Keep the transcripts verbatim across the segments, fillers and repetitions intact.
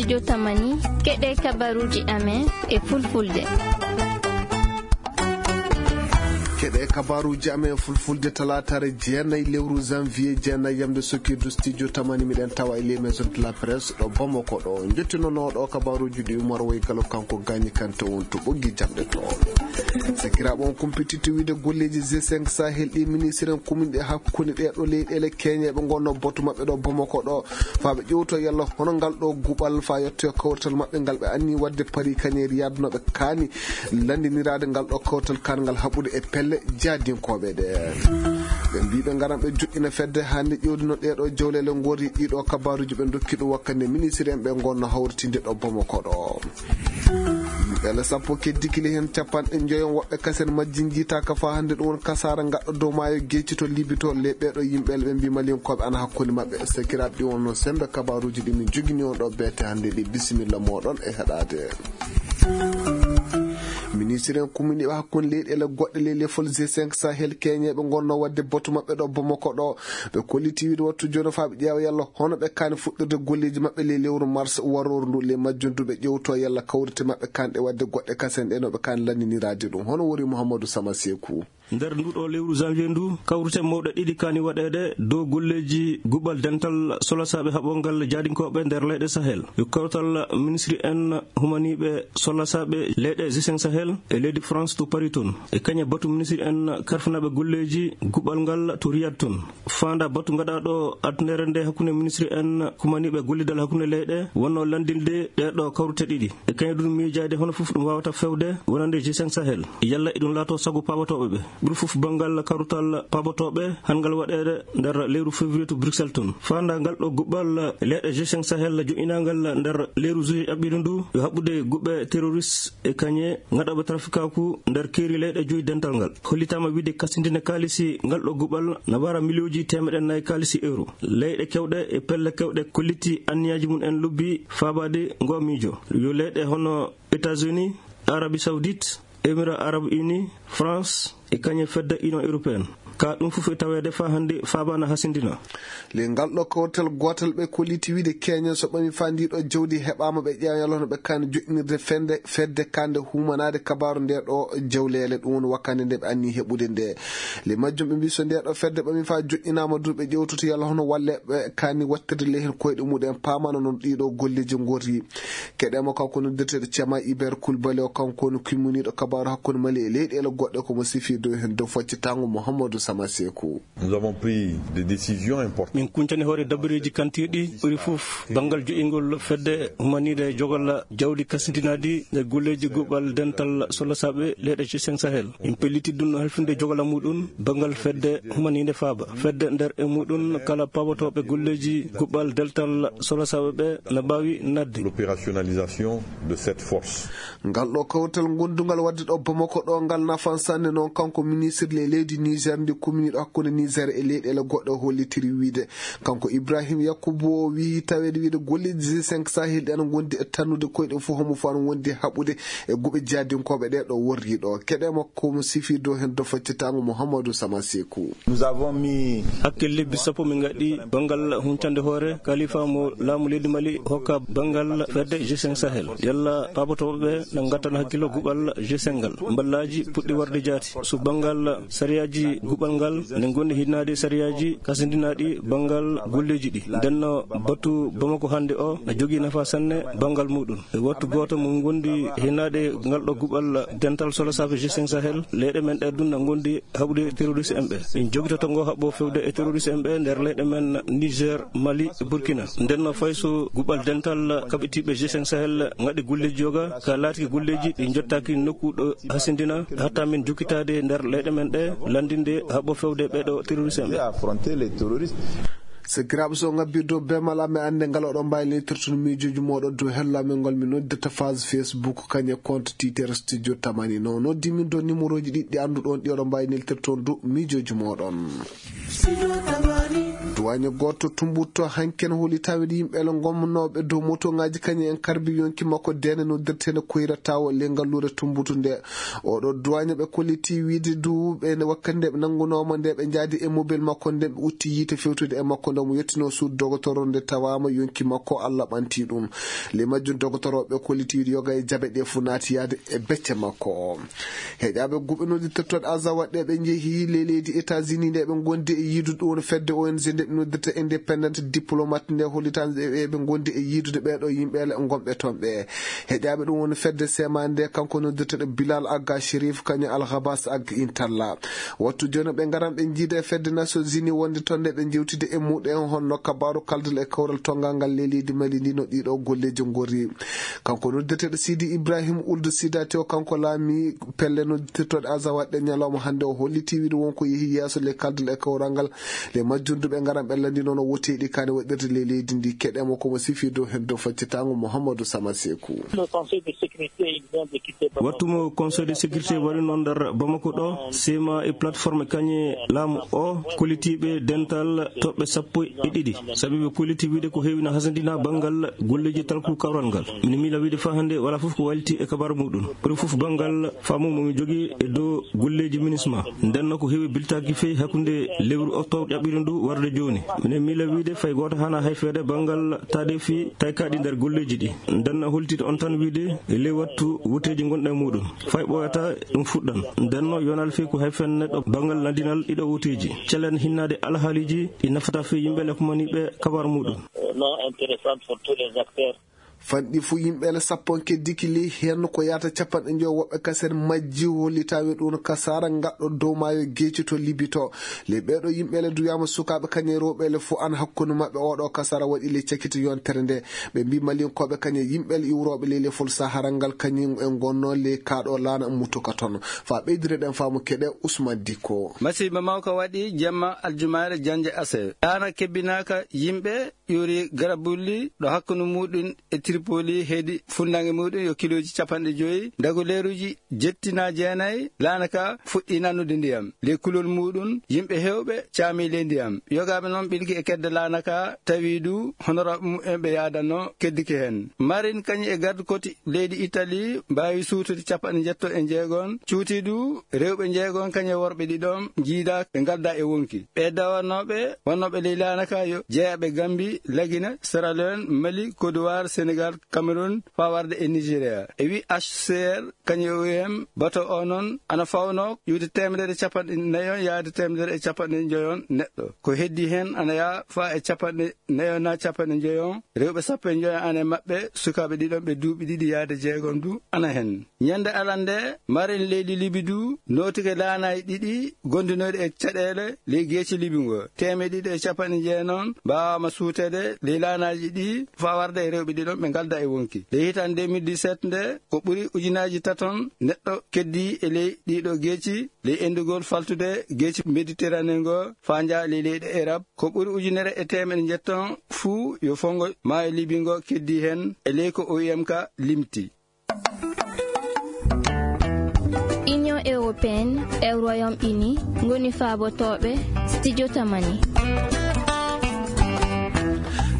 Jotamani, keɗe kabaruuji amen e fulfulde. Keɗe kabaruuji amen e fulfulde talaataare jeenayi lewru janvier jeenayi yamde sokirdu studio tamani miɗen tawa e les maisons de la presse ɗo Bamako ɗo. Jottinonooɗo kabaruuji ɗi Umar Woy Galo kanko gaañi kante on to ɓoggi jamɗe to. Sakiraaɓe on kumpititti wiide golleeji G cinq Sahel ɗi ministre en kuminɗe hakkunde ɗe ɗo leyɗeele keñeeɓe ngonno botu maɓɓe ɗo Bamako ɗo. Faa ɓe ƴewto yalla hono ngal ɗo guɓal faa yettoyo kawtal maɓɓe ngal ɓe anni waɗde Paris kañe Riyad no ɓe kaani lanndiniraade ngal ɗo kawtal kaan ngal haɓude e pelle jaadinkooɓe ɗe. Ɓe mbii ɓe ngaran ɓe joƴƴina fedde hannde ƴewdi no ɗee ɗo jawleele ngori ɗii ɗo kabaruuji ɓe ndokki ɗum wakkande ministre en ɓe ngonno hawritinde ɗo Bamako ɗo. Yimɓe sappo keddi kili heen capanɗe njoyo woɓɓe kasen majji njiitaaka faa hannde ɗum won kasaara ngaɗɗo dow maayo geeci to Libi to le ɓee ɗo yimɓe ɓe mbii malinkooɓe ana hakkunde maɓɓe. Sakiraaɓe ɗi wonno semmbe kabaruuji ɗi min jogini on ɗo beete hannde ɗi bisimilla mooɗon e heɗaade. Ministre en kuminiiɓe hakkunde leyɗeele goɗɗe ley lefol G cinq Sahel keñeeɓe ngonno waɗde batu maɓɓe ɗo Bamako ɗo. Ɓe kolliti wiide wattu jooni faa ɓe ƴeewa yalla hono ɓe kaani fuɗɗirde golleeji maɓɓe ley lewru mars warooru ndu ley majjum du ɓe ƴewto yalla kawrite maɓɓe kaanɗe waɗde goɗɗe kasen ɗe no ɓe kaani lanndiniraade ɗum. Hono wori Mouhamadou Sama Sekou. Nder nduɗo lewru janvier ndu, kawrite mawɗe ɗiɗi kaani waɗeede dow golleeji guɓal dental solasaaɓe haɓongal jaadinkooɓe nder leyɗe Sahel. Yo kawtal ministri en humaniiɓe solasaaɓe leyɗe G cinq Sahel e leydi France to Paris toon. E kañe batu ministri en karfinaaɓe golleeji guɓal ngal to Riyad toon. Faanda batu gaɗaaɗo adunere nde hakkunde ministri en kumaniiɓe gollidal hakkunde leyɗe wonno lanndinde ɗee ɗo kawrite ɗiɗi. E kañum ɗum miijaade hono fof ɗum waawata fewde wonande G cinq Sahel. Yalla eɗum laato sago paabatooɓe ɓe. Ɓuri fof banngal kawrutal paabatooɓe hanngal waɗeede nder lewru février to Bruxelles toon. Faanda ngal ɗo guɓal leyɗe G cinq Sahel joƴƴinaangal nder lewru juillet ƴaɓɓiiɗo ndu yo haɓɓude guɓe terroriste e kañe gaɗooɓe trafikaaku nder keeri leyɗe joyi dental ngal. Hollitaama wiide kasindine kaalisi ngal ɗo guɓal na wara miliyooji teemeɗe nayi kaalisi euro. Leyɗe kewɗe e pelle kewɗe kolliti anniyaaji mum en lobbi faabaade ngo miijo. Yo leyɗe hono États-Unis, Arabie Saoudite, Émirats Arabes Unis, France e kañe fedde Union Européenne. Ka ɗum fof e taweede faa hannde faabaana hasindina. Le ngal ɗo kawtal gootal ɓe kolliti wiide keñen so ɓami faa ndi ɗo jawdi heɓaama ɓe ƴeewa yalla hono ɓe kaani joƴƴinirde fende fedde kande humanaade kabaaru nde ɗo jawleele ɗum woni wakkande nde ɓe anni heɓude nde. Le majjum ɓe mbii so nde ɗo fedde ɓami faa joƴƴinaama du ɓe ƴewtoto yalla hono walle ɓe kaani wattirde le heen koyɗe muɗen paamano noon ɗiɗo golleeji ngorri. Keɗeemo kanko noddirteeɗo Cema Iber Kulbali o kanko woni kimmuniiɗo kabaaru hakkunde Mali e leyɗeele goɗɗe ko mo sifi dow heen dow faccitango Mouhamadou Sama Sekou. Nous avons pris des décisions importantes. Min kuncani hoore dabareeji kantirɗi ɓuri fof banngal joƴingol fedde humaniiɗe jogal jawdi kasindinaadi e golleeji guɓal dental solasaaɓe leyɗe G cinq Sahel. Min pelliti ɗum no halfinde jogala muɗum banngal fedde humaniinde faaba. Fedde nder e muɗum kala paabatooɓe golleeji guɓal dental solasaaɓe ɓe na mbaawi nadde. L'opérationnalisation de cette force. Ngal ɗo kawtal gondungal wadde ɗo Bamako ɗo ngal nafan sanne noon kanko ministre le leydi Niger ndi kuminiiɗo hakkunde Niger e leyɗeele goɗɗe hollitiri wiide. Kanko Ibrahim Yakubu o wiyi taweede wiide golleeji G cinq Sahel ɗi ana ngondi e tannude koyɗe fof homo fof ana wondi haɓude e guɓe jaadinkooɓe ɗe ɗo worri ɗo. Keɗe makko mo sifi dow heen do faccitango Mouhamadou Sama Sekou. Nous avons mis hakke lebbi sappo min ngaɗi banngal huncande hoore kalifa mo laamu leydi Mali hokka banngal fedde G cinq Sahel. Yalla paabotooɓe ɓe na ngattan hakkillo guɓal G cinq ngal. Mballaaji puɗɗi warde jaati. So banngal sariyaaji guɓal ngal ne ngondi hinnaade sariyaaji kasindinaaɗi banngal golleeji ɗi. Ndenno batu Bamako hannde o na jogii nafa sanne banngal muɗum. E wattu gooto mo ngondi hinnaade ngal ɗo guɓal dental solasaaɓe G cinq Sahel, leyɗe men ɗe ɗum na ngondi haɓude terroriste en ɓe. Min jogitoto ngo haɓɓo fewde e terroriste en ɓe nder leyɗe men Niger, Mali, Burkina. Ndenno fay so guɓal dental kaɓitiiɓe G cinq Sahel ngaɗi golleeji yoga, ka laatiki golleeji ɗi njottaaki nokku ɗo hasindina, hatta min jokkitaade nder leyɗe men ɗe, lanndinde haɓɓo fewde ɓe ɗo terroriste en ɓe. Affronter les terroristes. Sakiraaɓe, so ngabbirde o bemal amen annde ngal oɗon mbaawi leytirtude miijooji mooɗon dow hello amen ngol min noddirta phase Facebook kañe compte Twitter Studio Tamani. No noddi min dow numéroji ɗiɗi ɗi annduɗon ɗi oɗon mbaawi neltirtoon dow miijooji mooɗon. Waño gooto Tumbutu hanken holi taweede yimɓe ele ngomnooɓe dow motoŋaaji kañum en karbi yonki makko dene noddirteene Koyra Tawo le ngalluure Tumbutu nde. Oɗo duwaño ɓe kolliti wiide du ɓe nde wakkati nde ɓe nanngunooma nde ɓe njaadi e mobel makko nde ɓe utti yiite fewtude e makko nde mo yettino suudu dogotoro nde tawaama yonki makko Allah ɓanti ɗum. Le majjum dogotoro ɓe kolliti wiide yoga e jabe ɗe fu naati yaade e becce makko. Heƴaaɓe guɓe noddi tottoɗe aza waɗɗe ɓe njehi le leydi États-Unis nde ɓe ngondi e yiidude ɗum woni fedde O N G nde ɓe noddirta Independent Diplomat nde hollitaande ɓe ɓe ngondi e yiidude ɓeeɗo yimɓe ele gomɓe toon ɓe. Heƴaaɓe ɗum woni fedde sema nde kanko noddirteɗo Bilal Agha Sherif kañum Al Ghabas Ag Intalla. Wattu jooni ɓe ngaran ɓe njiida e fedde Nations Unies wonde toon nde ɓe jewtide e muɗen honno kabaru kaldal e kawral tongal ngal le leydi Mali ndi no ɗiɗo golleeji ngorri. Kanko noddirteɗo Sidi Ibrahim Uldu Sidati o kanko laami pelle noddirtoɗe aza waɗɗe ñalawma hannde o holliti wiide wonko yehi yeeso le kaldal e kawral ngal le majjunduɓe ngaran ɓe lanndi noon o woteeɗi kane waɗirde le leydi ndi keɗemo komo sifi dow hen dow faccitango Mouhamadou Sama Sekou. Wattu mo Conseil de sécurité waɗi noon nder Bamako ɗo sema e plateforme kañe laamu o kollitiiɓe dental toɓɓe sappo e ɗiɗi sabi ɓe kolliti wiide ko heewi na hasandina banngal golleeji talku kawral ngal. Mine miila wiide faa hannde wala fof ko wayliti e kabar muɗum. Ɓuri fof banngal faamu mo mi jogi e dow golleeji minisma. Ndenno ko heewi biltaaki fey hakkunde lewru octobre ƴaɓɓiri ndu warde jooni. Mine miila wiide fay gooto hana hayfeede banngal taadeefi taykaaɗi nder golleeji ɗi. Ndenno holtide on tan wiide e ley wattu wuteeji ngonɗe e muɗum. Fay ɓooyata ɗum fuɗɗan. Ndenno yonal fey ko hayfen neɗɗo banngal landinal ɗiɗo wuteeji. Celen hinnaade alhaaliiji ɗi nafata fey yimɓe le kumaniiɓe kabar muɗum. Non intéressante pour tous les acteurs. Fanɗi fu yimɓe ele sappo keddiki ley heen ko yahata capanɗe njoyo woɓɓe kasen majji hollitaaɓe ɗum kasaara ngaɗɗo dow maayo geeci to Libi to. Ley ɓeeɗo yimɓe ele duyaama sukaaɓe kañe rewɓe ele fu an hakkunde maɓɓe oɗo kasaara waɗi ley cakiti yontere nde. Ɓe mbi malinkooɓe kañe yimɓe ele iwrooɓe ley lefol Sahara ngal kañum e ngonno ley kaaɗo laana mutuka toon. Faa ɓeydire ɗen faamu keɗe Ousmane Dikko. Masiiba mawka waɗi jemma aljumaare jannde ase. Laana kebbinaaka yimɓe ƴuuri Garabulli ɗo hakkunde muɗum e Tripoli heedi funnange muɗum yo kilooji capanɗe joyi. Dago leeruji jettina jeenayi laana ka fuɗɗi nannude ndiyam. Ley kulol muɗum yimɓe heewɓe caami ley ndiyam. Yogaaɓe noon ɓilki e kedde laana ka tawi du honoraaɓe mumen ɓe yaadanno keddiki heen. Marin kañum e garde côte leydi Italie mbaawi suutude capanɗe njetto e jeegon. Cuuti du rewɓe jeegon kañum e worɓe ɗiɗon njiida ɓe ngalda e wonki. Ɓe dawanooɓe wonnooɓe ley laana ka yo jeyaɓe Gambi, Lagina, Sierra Leone, Mali, Côte d'Ivoire, Sénégal, Cameroun, faa warde e Nigeria. E wi H C R, kañum e O I M, bato o noon ana fawnoo iwde teemedere capanɗe nayon yaade teemedere e capanɗe njoyon neɗɗo. Ko heddi heen ana yaha faa e capanɗe nayon naa capanɗe njoyon. Rewɓe sappo e njoyon ana e maɓɓe, sukaaɓe ɗiɗon ɓe duuɓi ɗiɗi yaade jeegom du ana heen. Ñande alat nde, marin leydi Libi du nootike laanaaji ɗiɗi gondunooɗi e caɗeele ley geeci Libi ngo. Teemeɗɗe ɗiɗi e capanɗe jeenayi mbaawaama suuteede ley laanaaji ɗi faa warde e rewɓe ɗiɗon ɓe ngalda e wonki. Ley hitaande deux mille dix-sept nde, ko ɓuri ujunaaji taton neɗɗo keddi e ley ɗiɗo geeci, ley enndugol faltude geeci Méditerranée ngo faa njaha ley leyɗe Erop. Ko ɓuri ujunere e teemeɗɗe njetton fuu yo fonngo maayo Libi ngo keddi heen e ley ko O I M ka limti. Union européenne e Royaume-Uni ngoni faabotooɓe studio Tamani.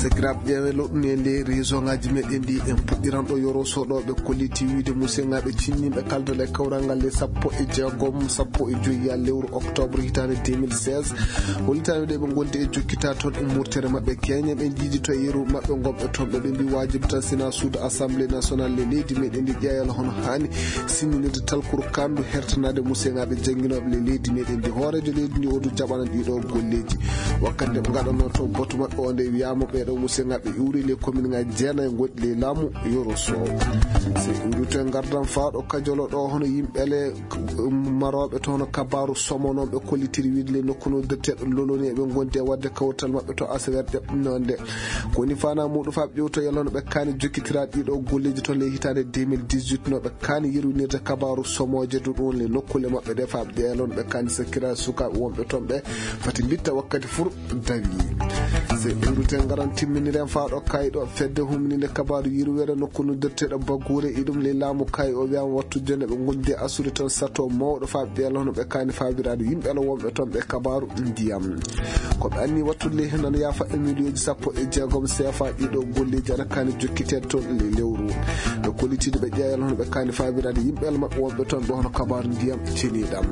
Sakiraaɓe ƴeewe loɗɗuni e nder réseau ngaji meɗen ɗi en puɗɗiran ɗo yoro soɗoɓe kolliti wiide musengaɓe cinniɓe kaldal e kawral ngal le sappo e jeegom, sappo e joyi ya lewru octobre hitaande deux mille seize. Hollitaɓe ɗe ɓe gondi e jokkita toon e murtere maɓɓe keñe ɓe jiidi to yeru maɓɓe gomɓe toon ɓe ɓe mbi wajibi tan sina suudu assemblée nationale le leydi meɗen ndi ƴeeyal hono hani sinninirde talkuru kandu hertanade musengaɓe jangguinoɓe le leydi meɗen ndi hoorejo leydi ndi o du jaɓana ɗiɗo golleji. Wakkati nde ɓe gaɗanno to batu maɓɓe o nde wiyama ɓeɗo musengaɓe iwri le commune ngaji jeenayi goɗɗi le laamu yoro so. Se iwri to e gardan faaɗo kajolo ɗo hono yimɓe le maroɓe to hono kabaru somo noon ɓe kollitiri wiide le nokku no detteɗo loloni eɓe gondi e wadde kawtal maɓɓe to asawer ɗeɓnonde. Koni fana muɗum faaɓe ƴewto yalla no ɓe kaani jokkitiraade ɗiɗo golleji toon ley hitaande deux mille dix-huit no ɓe kaani yerwinirde kabaaru somooje du ɗum le nokkuule maɓɓe ɗe faaɓe ɗe yalla no ɓe kaani sakkira sukaaɓe wonɓe toon ɓe fati mbitta wakkati fur dawi. Ɓe ruten ngaran timminiren faa ɗo kay ɗo fedde humninde kabaaru yirwere nokku no dotteɗo bagguure iɗum ley laamu kay o wiyama wattu jonde ɓe gondi e assude toon sato mawɗo faa ɓiyal hono ɓe kani faabiraade yimɓe ala wonɓe toon ɓe kabaaru ndiyam. Ko ɓe anni wattude ley hennano yaafa e miliyoji sappo e jeegom seefa ɗiɗo golleji ana kani jokkiteede toon ley lewru. Ɓe kollitiiɗo ɓe ƴeeyal hono ɓe kani faabiraade yimɓe ala maɓɓe wonɓe toon ɓe hono kabaaru ndiyam ceniɗam.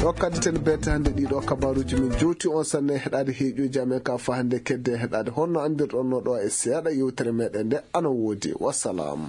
Ɗo kaddi ten beete hannde ɗiɗo kabaaruji min jowti on sanne heɗaade heeƴoji amen ka faa hannde kedde heɗaade honno anndirɗon no ɗo e seeɗa yewtere meɗen nde ana woodi. Wassalam.